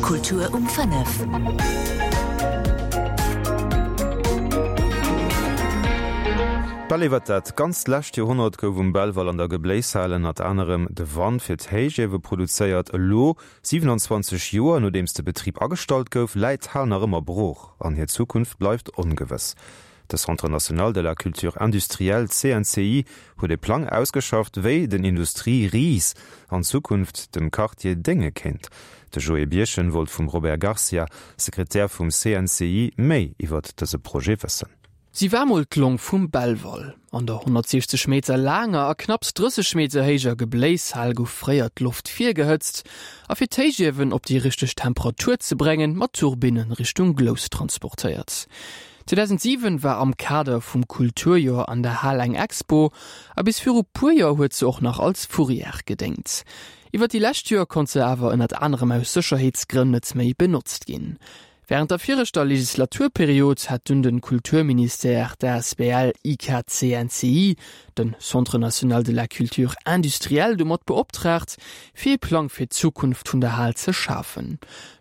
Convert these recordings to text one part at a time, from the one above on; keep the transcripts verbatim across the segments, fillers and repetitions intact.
Kultur um fënnef. Bal iwwer dat ganzt lescht Joerhonnert gouf um Belval an der Gebléishal ënnert anerem de Wand fir d'Héichiewe produzéiert. Elo, siwenanzwanzeg Joer nodeems de Betrib agestallt gouf, läit d'Hal nach ëmmer brooch an hir Zukunft bleift ongewëss. De Centre national de la culture industrielle, C N C I, huet e Plang ausgeschafft, wéi den Industrie-Ris an Zukunft dem Quartier dénge kéint. De Joé Birchen wollt vum Robert Garcia, Sekretär vum C N C I, méi iwwer dëse Projet wëssen. Si war mol d'Long vum Belval. An der honnertsiechzeg Meter laanger a knapps drësseg Meter héijer Gebléishal gouf fréier d'Loft virgehëtzt a fir d'Héichiewen op déi richteg Temperatur ze bréngen, mat Turbinnen Richtung Glous transportéiert. zweedausentsiwen war am Kader vum Kulturjoer an der Hal eng Expo, a bis viru puer Joer huet se och nach als Fourrière gedéngt. Iwwer déi lescht Joer konnt se awer ënnert anerem aus Sécherheetsgrënn net méi benotzt ginn. Wärend der viregter Legislaturperiod hat dunn de Kulturministère d'A S B L I K C N C I, den Centre national de la culture industrielle, domat beoptraagt, fir e Plang fir d'Zukunft vun der Hal ze schafen.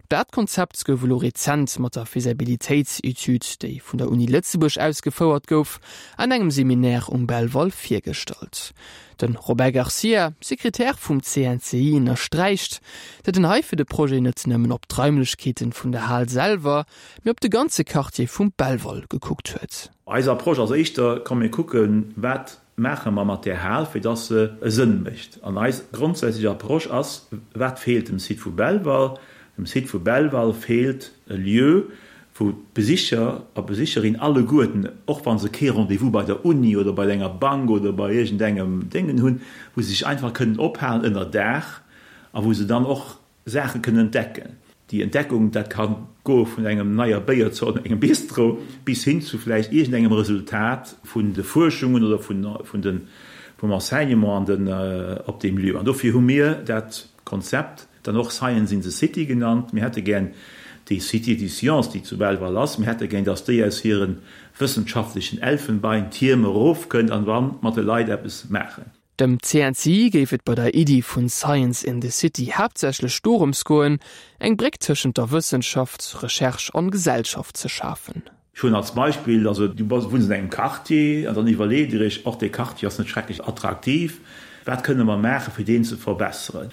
Dat Konzept gouf elo rezent mat der Faisabilitéitsetüd, déi vun der Uni Lëtzebuerg ausgefouert gouf, an engem Seminaire um Belval virgestallt. Den Robert Garcia, Sekretär vum C N C I, ënnersträicht, datt een hei fir de Projet net nëmmen op d'Raimlechkeeten vun der Hal selwer, mee op de ganze Quartier vum Belval gekuckt huet. Eis Approche ass éischter, komm mir kucken, wat maache mer mat där Hal, fir dass se e Sënn mécht. An eis grondsätzlech Approche ass, wat feelt dem Site vu Belval? Dem Site vu Belval feelt e Lieu, wou d'Besicher a Besicherin alleguerten, och wa se kee Rendez-vous bei der Uni oder bei enger Bank oder bei iergendengem Déngen hunn, wou se sech einfach kënnen ophalen ënner Daach a wou se dann och Saache kënnen entdecken. Déi Entdeckung, dat ka goe vun engem neier Béierzort an engem Bistro bis hin zu vläicht iergendengem Resultat vun de Fuerschungen oder vun, vun den, vum Enseignement an den, op deem Lieu. An dofir hu mir dat Konzept dann och Science in the City genannt. Mir hätte gär déi Cité des Sciences, déi zu Belval ass, mir hätte gär, dass déi aus hire wëssenschaftlechen Elfenbeintierm erofkënnt an wa mat de Leit eppes maachen. Dem C N C I géif et bei der Iddi vun Science in the City haaptsächlech dorëms goen, eng Bréck tëschent der Wëssenschaft, Recherche an Gesellschaft ze schafen. Ech hunn als Beispill, also du bass, wunns an engem Quartier an dann iwwerleet Dir Iech, och dee Quartier ass net schrecklech attraktiv, wat kënne mer maachen, fir deen ze verbesseren?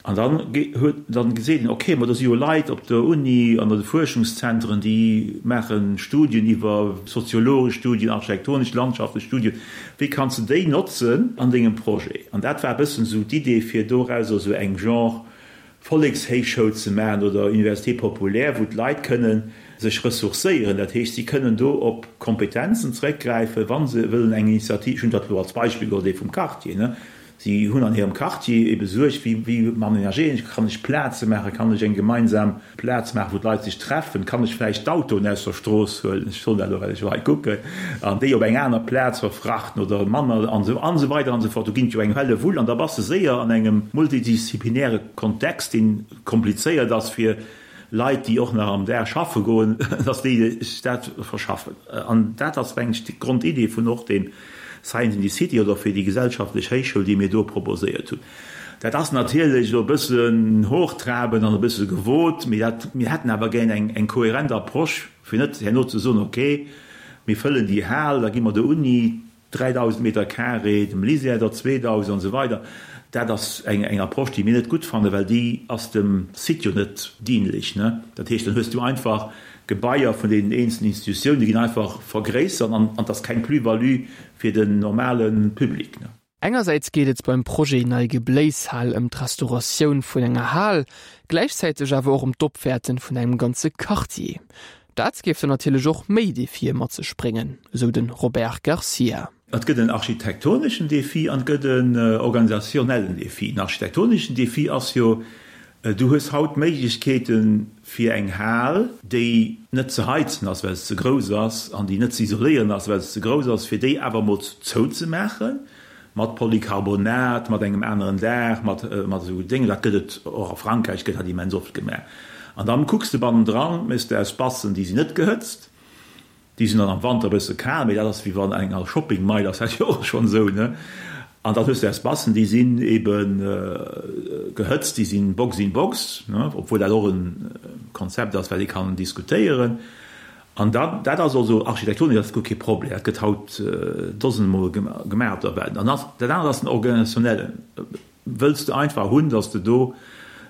An dann huet, dann gesäit een, okay, ma do si jo Leit op der Uni an an de Fuerschungszentren, déi maache Studien iwwer soziologesch Studien, architektonesch, landschaftlech Studien, wéi kanns de déi notzen an dengem Projet? An dat war e bëssen esou d'Idee, fir dorauser esou eng Genre Vollekshéichschoul ze maachen oder Université populaire, wou d'Leit kënnen sech ressourcéieren. Dat heescht, si kënnen do op Kompetenzen zeréckgräifen, wa se wëllen eng Initiativ, ech hunn dat elo als Beispill geholl, déi vum Quartier, ne, si hunn an hirem Quartier ebe Suerg, wéi, wéi amenagéieren ech, kann ech Plaze maachen, kann ech eng gemeinsam Plaz maachen, wou d'Leit sech treffen, kann ech vläicht d'Autoen aus der Strooss huelen, ech soen dat elo, well ech hei kucken, an déi op eng aner Plaz verfrachten oder manner an esou, an esou weider an esou fort. Do ginn et jo eng Hellewull an da bass de séier an engem multidisziplinäre Kontext, dee komplizéiert ass fir Leit, déi och nach am Dag schaffe goen, dass déi sech dat verschaffen. An dat ass, mengen ech, d'Grondidee vun och deem Science in the City oder fir déi gesellschaftlech Héichschoul, déi mir do proposéiert hunn. Dat ass natierlech elo e bëssen hochtrabend an e bësse gewot, mee dat, mir hätten awer gär eng, eng kohärent Approche, fir net herno ze soen, okay, mir fëllen déi Hal, da gi mer der Uni dräidausend Meter carré, dem LISER der zweedausend an esou weider. Dat ass eng, eng Approche, déi mir net gutt fannen, well déi ass dem Site jo net dienlech, ne? Dat heescht, dann hues du einfach Gebaier vun deenen eenzelnen Institutiounen, déi ginn einfach vergréissert an, an et ass keng Plus-value fir den normale Public, ne? Engersäits geet et beim Projet Nei Gebléishal ëm d'Restauratioun vun enger Hal, gläichzäiteg awer och ëm d'Opwäerte vun engem ganze Quartier. Dat géif dann natierlech och méi Defie mat sech bréngen, esou de Robert Garcia. Et gëtt en architektoneschen Defi an et gëtt en organisationellen Defi. Den architektoneschen Defi ass jo, du hues haut Méiglechkeeten, fir eng Hal, déi net ze heizen ass, well se ze grouss ass, an déi net ze isoléieren ass, well se ze grouss ass, fir déi awer emol zouzemaachen, mat Polycarbonat, mat engem aneren Daach, mat esou Déngen. Dat gëtt et och a Frankräich, gëtt dat immens oft gemaach. An dann kucks de bannendran, méchs de Espacen, déi sinn net gehëtzt, déi sinn dann am Wanter e bësse kal, mee dat ass wéi wann eng al Shoppingmeil ass dat jo och schonn esou, ne? An dann hues de Espacen, déi sinn ebe gehëtzt, déi sinn Box in Box, ne, obwuel dat och en Konzept ass, wat ee kann diskutéieren. An dann, dat ass also architektonesch ass guer kee Problem, dat gëtt haut dosenmol gemaach op der Welt. An dat anert ass den organisationellen. Wëlls de einfach hunn, datt s de do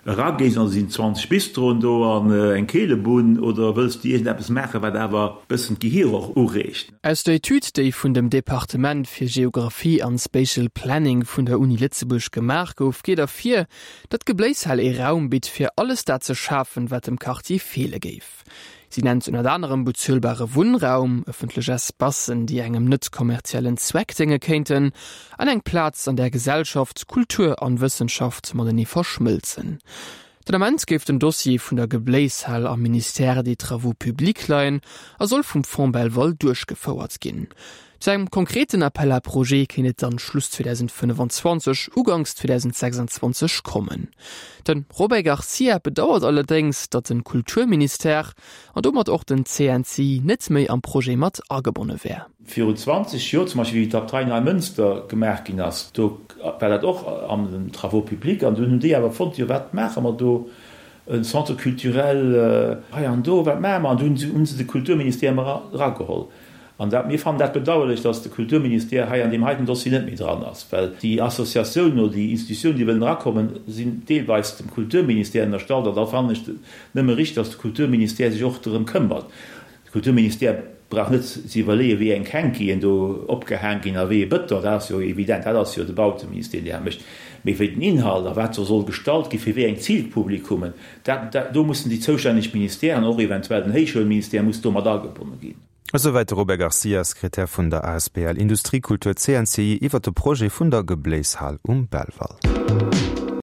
eragees an et sinn zwanzeg Bistroen do an eng Keelebunn, oder wëlls de iergendeppes maachen, wat awer e bëssen d'Gehier och ureegt? Aus der Etüd, déi vun dem Departement fir Geographie an Spatial Planning vun der Uni Lëtzebuerg gemaach gouf, geet ervir, datt d'Gebléishal ee Raum bitt, fir alles dat ze schafen, wat dem Quartier feele géif. Si nennt ënnert anerem bezuelbare Wunnraum, ëffentlech Espacen, déi engem net kommerziellen Zweck dénge kéinten, an eng Plaz, an där Gesellschaft, Kultur an Wëssenschaft matenee verschmëlzen. Den Ament géif den Dossier vun der Gebléishal am Ministère des Travaux publics leien a soll vum Fonds Belval duerchgefouert ginn. Zu engem konkreten Appel à projets kéint et dann Schluss zweedausendfënnefenzwanzeg, Uganks zweedausendssechsundzwanzeg kommen. De Robert Garcia bedauert allerdéngs, datt de Kulturministère, an domat och den C N C I, net méi am Projet mat agebonne wär. Virun zwanzeg Joer zum Beispill, wéi d'Abtei Neimënster gemaach ginn ass, do war dat och an den Travaux publics an dunn hunn déi awer fonnt, jo wat maache mer do, e Centre culturel hei an do, wat maache mer? An dunn hu se de Kulturministère erageholl. An dat, mir fannen dat bedauerlech, dass de Kulturministère hei an deem heiten Dossier net méi dran ass, well déi Associatiounen oder déi Institutiounen, déi wëllen erakommen, sinn deelweis dem Kulturministère ënnerstallt. An da fannen ech et nëmme richteg, dass de Kulturministère sech och dorëm këmmert. De Kulturministère brauch net ze iwwerleeën, wéi eng Hänkien do opgehaang ginn a wéi ee Bëton, dat ass jo evident, dat ass jo de Bauteministère, deen dat mécht. Mee wéi den Inhalt a wat do soll gestalt ginn, fir wéi eng Zilpublikummen, dat, dat, do mussen déi zoustänneg Ministèren, och eventuell den Héichschoulministère muss do mat agebonne ginn. Esouwäit de Robert Garcia, Sekretär vun der asbl Industriekultur C N C I iwwer de Projet vun der Gebléishal um Belval.